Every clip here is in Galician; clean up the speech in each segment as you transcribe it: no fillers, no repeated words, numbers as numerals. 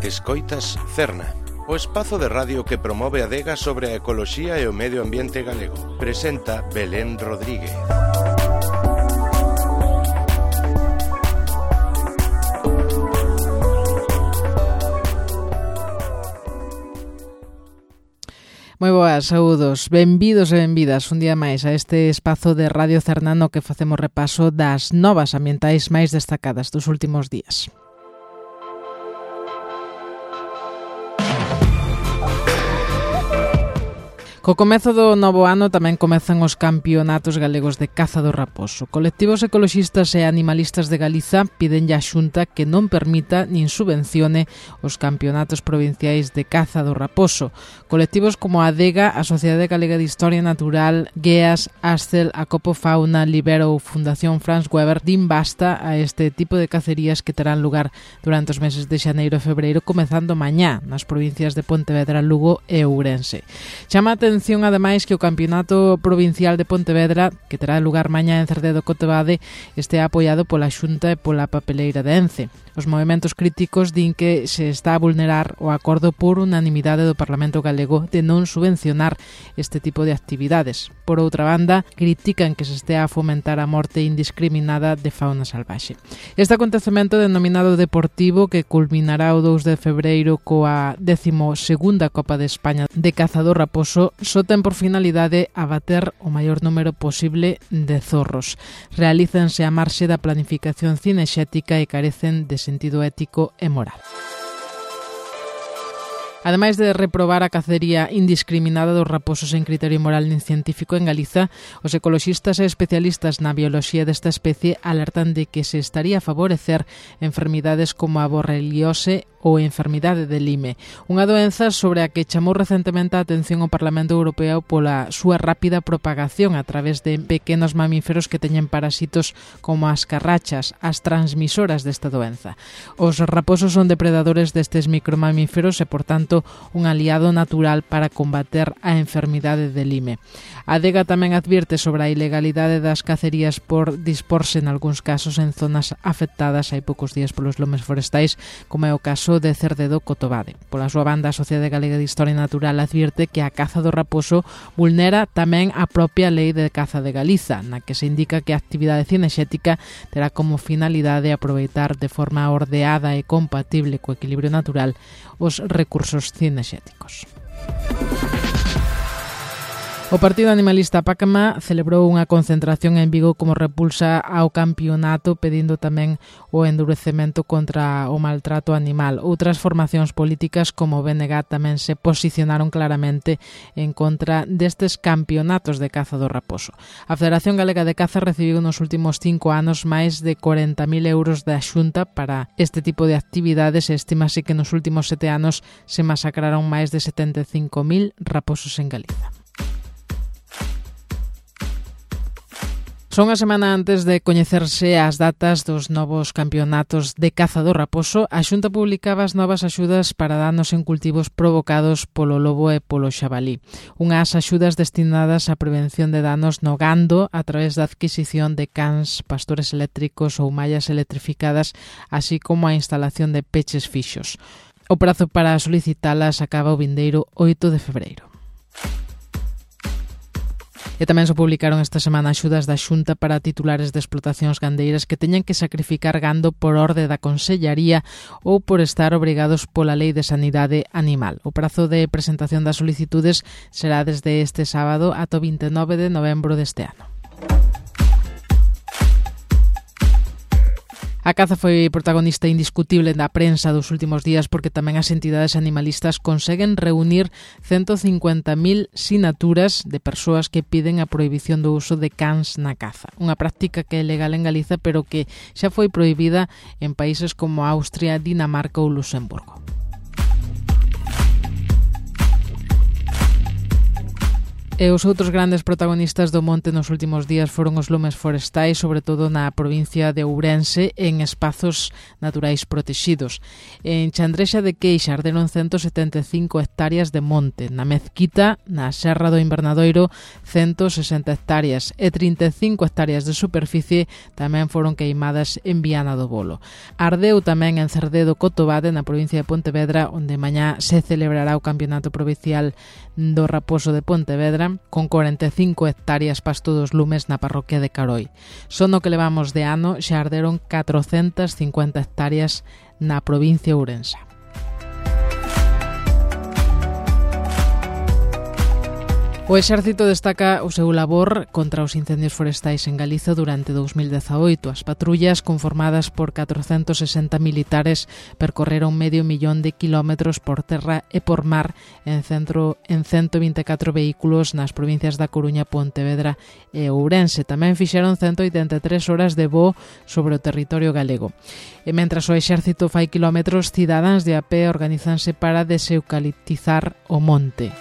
Escoitas Cerna, o espazo de radio que promove a adega sobre a ecoloxía e o medio ambiente galego. Presenta Belén Rodríguez. Moi boas, saúdos, benvidos e benvidas un día máis a este espazo de Radio Cerna no que facemos repaso das novas ambientais máis destacadas dos últimos días. Co comezo do novo ano tamén comezan os campeonatos galegos de caza do raposo. Colectivos ecoloxistas e animalistas de Galiza piden á Xunta que non permita nin subvencione os campeonatos provinciais de caza do raposo. Colectivos como a ADEGA, a Sociedade Galega de Historia Natural, GEAS, ASCEL, Acopo Fauna, Libero ou Fundación Franz Weber din basta a este tipo de cacerías que terán lugar durante os meses de xaneiro e febreiro, comezando mañá nas provincias de Pontevedra, Lugo e Ourense. Chama a atención, ademais, que o Campeonato Provincial de Pontevedra, que terá lugar mañá en Cerdedo Cotobade, este apoiado pola Xunta e pola papeleira de Ence. Os movementos críticos din que se está a vulnerar o acordo por unanimidade do Parlamento galego de non subvencionar este tipo de actividades. Por outra banda, critican que se estea a fomentar a morte indiscriminada de fauna salvaxe. Este acontecemento denominado deportivo, que culminará o 2 de febreiro coa 12ª Copa de España de caza do raposo, só ten por finalidade abater o maior número posible de zorros. Realícense a marxe da planificación cinexética e carecen de sentido ético e moral. Ademais de reprobar a cacería indiscriminada dos raposos en criterio moral nin científico en Galiza, os ecoloxistas e especialistas na bioloxía desta especie alertan de que se estaría a favorecer enfermidades como a borreliose ou enfermidade de Lyme, unha doenza sobre a que chamou recentemente a atención o Parlamento Europeo pola súa rápida propagación a través de pequenos mamíferos que teñen parasitos como as carrachas, as transmisoras desta doenza. Os raposos son depredadores destes micromamíferos e, por tanto, un aliado natural para combater a enfermidade de Lyme. A ADEGA tamén advirte sobre a ilegalidade das cacerías por disporse en algúns casos en zonas afectadas hai poucos días polos lomes forestais, como é o caso de Cerdedo Cotobade. Pola súa banda, a Sociedade Galega de Historia Natural advirte que a caza do raposo vulnera tamén a propia Lei de Caza de Galiza, na que se indica que a actividade cinexética terá como finalidade aproveitar de forma ordeada e compatible co equilibrio natural os recursos cinexéticos. O Partido Animalista Pácama celebrou unha concentración en Vigo como repulsa ao campeonato, pedindo tamén o endurecemento contra o maltrato animal. Outras formacións políticas como o BNG tamén se posicionaron claramente en contra destes campeonatos de caza do raposo. A Federación Galega de Caza recibiu nos últimos 5 anos máis de 40.000 euros da Xunta para este tipo de actividades e estimase que nos últimos 7 anos se masacraron máis de 75.000 raposos en Galiza. Son a semana antes de coñecerse as datas dos novos campeonatos de caza do raposo, a Xunta publicaba as novas axudas para danos en cultivos provocados polo lobo e polo xabalí. Unhas axudas destinadas á prevención de danos no gando a través da adquisición de cans, pastores eléctricos ou mallas electrificadas, así como a instalación de peches fixos. O prazo para solicitalas acaba o vindeiro 8 de febreiro. E tamén se publicaron esta semana axudas da Xunta para titulares de explotacións gandeiras que teñen que sacrificar gando por orde da Consellaría ou por estar obrigados pola Lei de Sanidade Animal. O prazo de presentación das solicitudes será desde este sábado ata o 29 de novembro deste ano. A caza foi protagonista indiscutible da prensa dos últimos días porque tamén as entidades animalistas conseguen reunir 150.000 sinaturas de persoas que piden a prohibición do uso de cans na caza. Unha práctica que é legal en Galiza pero que xa foi prohibida en países como Austria, Dinamarca ou Luxemburgo. E os outros grandes protagonistas do monte nos últimos días foron os lumes forestais, sobre todo na provincia de Ourense, en espazos naturais protegidos. En Chandrexa de Queixa arderon 175 hectáreas de monte, na Mezquita, na Serra do Invernadoiro, 160 hectáreas e 35 hectáreas de superficie tamén foron queimadas en Viana do Bolo. Ardeu tamén en Cerdedo Cotobade, na provincia de Pontevedra, onde mañá se celebrará o Campeonato Provincial do Raposo de Pontevedra, con 45 hectáreas pasto dos lumes na parroquia de Caroi. Só no que levamos de ano xa arderon 450 hectáreas na provincia ourensa. O Exército destaca o seu labor contra os incendios forestais en Galiza durante 2018. As patrullas, conformadas por 460 militares, percorreron 500.000 de kilómetros por terra e por mar en 124 vehículos nas provincias da Coruña, Pontevedra e Ourense. Tamén fixeron 183 horas de voo sobre o territorio galego. E mentras o Exército fai kilómetros, cidadáns de a pé organízanse para deseucaliptizar o monte.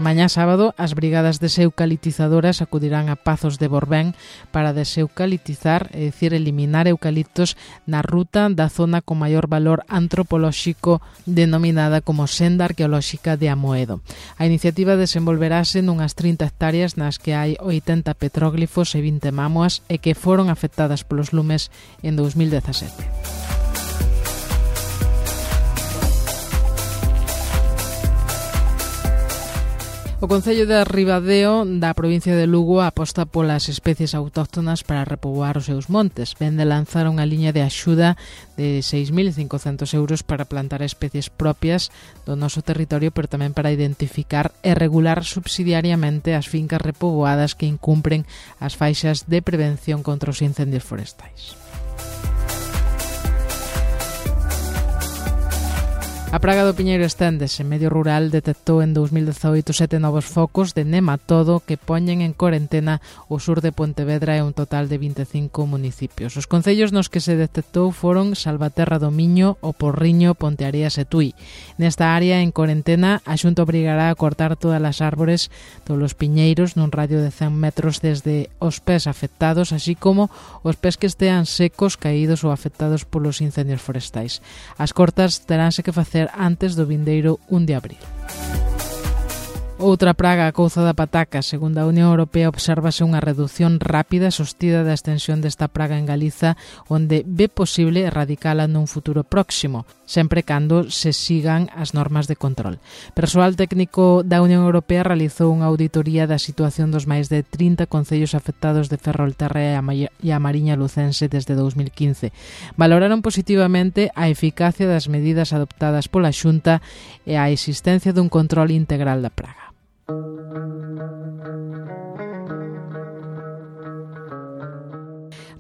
Mañá sábado, as brigadas deseucaliptizadoras acudirán a Pazos de Borbén para deseucaliptizar, é dicir, eliminar eucaliptos na ruta da zona con maior valor antropolóxico denominada como Senda Arqueolóxica de Amoedo. A iniciativa desenvolverase nunhas 30 hectáreas nas que hai 80 petróglifos e 20 mámoas e que foron afectadas polos lumes en 2017. O Concello de Ribadeo da provincia de Lugo aposta polas especies autóctonas para repoboar os seus montes. Ven de lanzar unha liña de axuda de 6.500 euros para plantar especies propias do noso territorio, pero tamén para identificar e regular subsidiariamente as fincas repoboadas que incumpren as faixas de prevención contra os incendios forestais. A praga do piñeiro esténdese. Medio Rural detectou en 2018 7 novos focos de nematodo que poñen en corentena o sur de Pontevedra e un total de 25 municipios. Os concellos nos que se detectou foron Salvaterra do Miño, O Porriño, Ponteareas e Tui. Nesta área en corentena, a Xunta obrigará a cortar todas as árbores dos piñeiros nun radio de 100 metros desde os pés afectados, así como os pés que estean secos, caídos ou afectados polos incendios forestais. As cortas teránse que facer antes do vindeiro 1 de abril. Outra praga, a couza da pataca. Segundo a Unión Europea, obsérvase unha reducción rápida e sostida da extensión desta praga en Galiza, onde ve posible erradicala nun futuro próximo, sempre cando se sigan as normas de control. Persoal técnico da Unión Europea realizou unha auditoría da situación dos máis de 30 concellos afectados de Ferrolterra e a Mariña Lucense desde 2015. Valoraron positivamente a eficacia das medidas adoptadas pola Xunta e a existencia dun control integral da praga.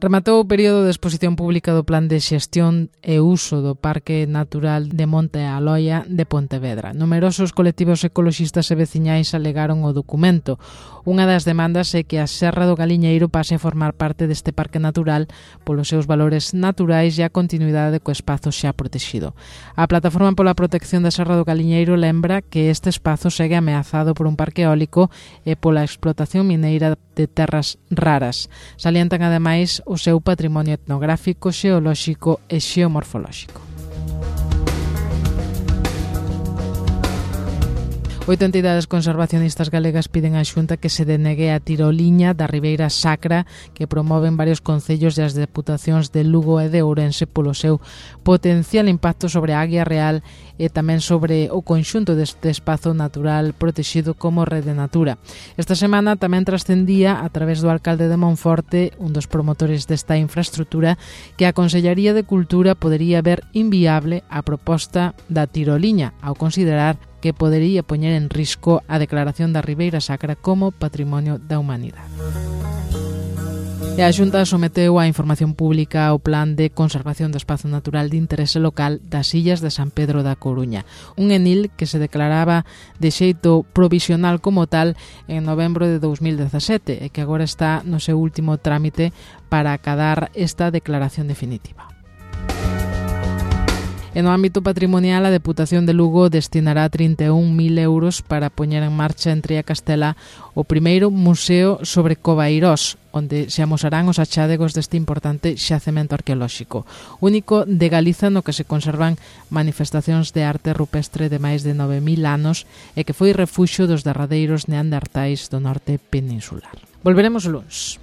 Rematou o período de exposición pública do Plan de Xestión e Uso do Parque Natural de Monte Aloia de Pontevedra. Numerosos colectivos ecoloxistas e veciñais alegaron o documento. Unha das demandas é que a Serra do Galiñeiro pase a formar parte deste parque natural polos seus valores naturais e a continuidade co espazo xa protegido. A Plataforma pola Protección da Serra do Galiñeiro lembra que este espazo segue ameazado por un parque eólico e pola explotación mineira de terras raras. Salientan ademais o seu patrimonio etnográfico, xeolóxico e xeomorfolóxico. 8 entidades conservacionistas galegas piden á Xunta que se denegue a tiroliña da Ribeira Sacra que promoven varios concellos e as deputacións de Lugo e de Ourense polo seu potencial impacto sobre a Águia Real e tamén sobre o conxunto deste espazo natural protegido como Rede Natura. Esta semana tamén trascendía a través do alcalde de Monforte, un dos promotores desta infraestructura, que a Consellería de Cultura podería ver inviable a proposta da tiroliña ao considerar que podería poñer en risco a declaración da Ribeira Sacra como Patrimonio da Humanidade. E a Xunta someteu a información pública ao Plan de Conservación do Espazo Natural de Interese Local das Illas de San Pedro da Coruña, un ENIL que se declaraba de xeito provisional como tal en novembro de 2017 e que agora está no seu último trámite para acadar esta declaración definitiva. E no ámbito patrimonial, a Deputación de Lugo destinará 31.000 euros para poñer en marcha en Tría Castela o primeiro museo sobre Covairós, onde se amosarán os achádegos deste importante xacemento arqueolóxico, único de Galiza no que se conservan manifestacións de arte rupestre de máis de 9.000 anos e que foi refuxo dos derradeiros neandertais do norte peninsular. Volveremos o luns.